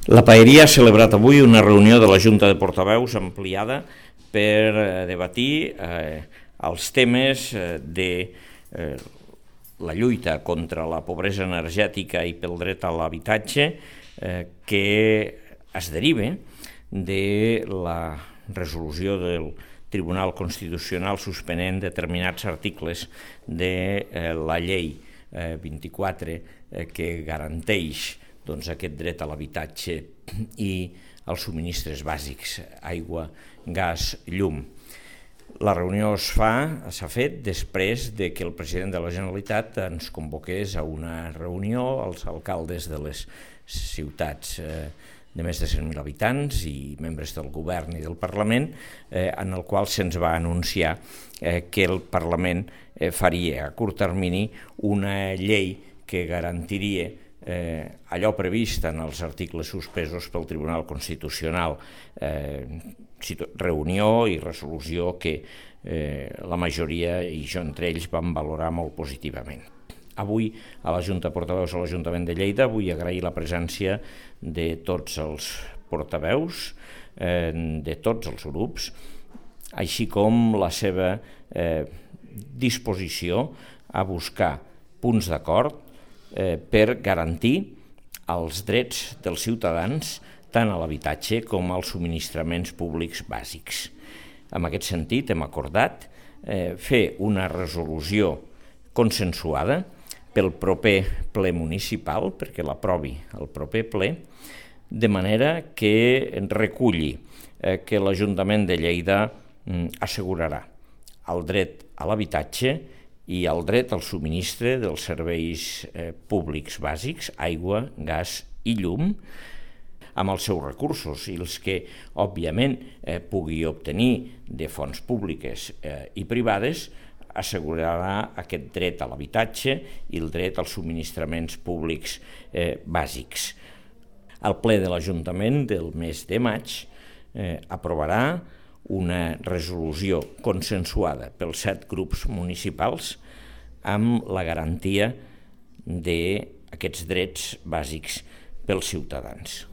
La Paeria ha celebrat avui una reunió de la Junta de Portaveus ampliada per debatir els temes de la lluita contra la pobresa energètica i pel dret a l'habitatge que es deriva de la resolució del Tribunal Constitucional suspenent determinats articles de la llei 24 que garanteix aquest dret a l'habitatge i els subministres bàsics, aigua, gas, llum. La reunió s'ha fet després de que el president de la Generalitat ens convoqués a una reunió als alcaldes de les ciutats de més de 100.000 habitants i membres del govern i del Parlament, en el qual se'ns va anunciar que el Parlament faria a curt termini una llei que garantiria allò previst en els articles suspesos pel Tribunal Constitucional, reunió i resolució que la majoria, i jo entre ells, vam valorar molt positivament. Avui, a la Junta de Portaveus a l'Ajuntament de Lleida, vull agrair la presència de tots els portaveus, de tots els grups, així com la seva disposició a buscar punts d'acord per garantir els drets dels ciutadans tant a l'habitatge com als subministraments públics bàsics. En aquest sentit, hem acordat fer una resolució consensuada pel proper ple municipal, perquè l'aprovi el proper ple, de manera que reculli que l'Ajuntament de Lleida assegurarà el dret a l'habitatge i el dret al subministre dels serveis públics bàsics, aigua, gas i llum, amb els seus recursos i els que, òbviament, pugui obtenir de fonts públiques i privades, assegurarà aquest dret a l'habitatge i el dret als subministraments públics bàsics. El ple de l'Ajuntament del mes de maig aprovarà una resolució consensuada pels 7 grups municipals amb la garantia d'aquests drets bàsics pels ciutadans.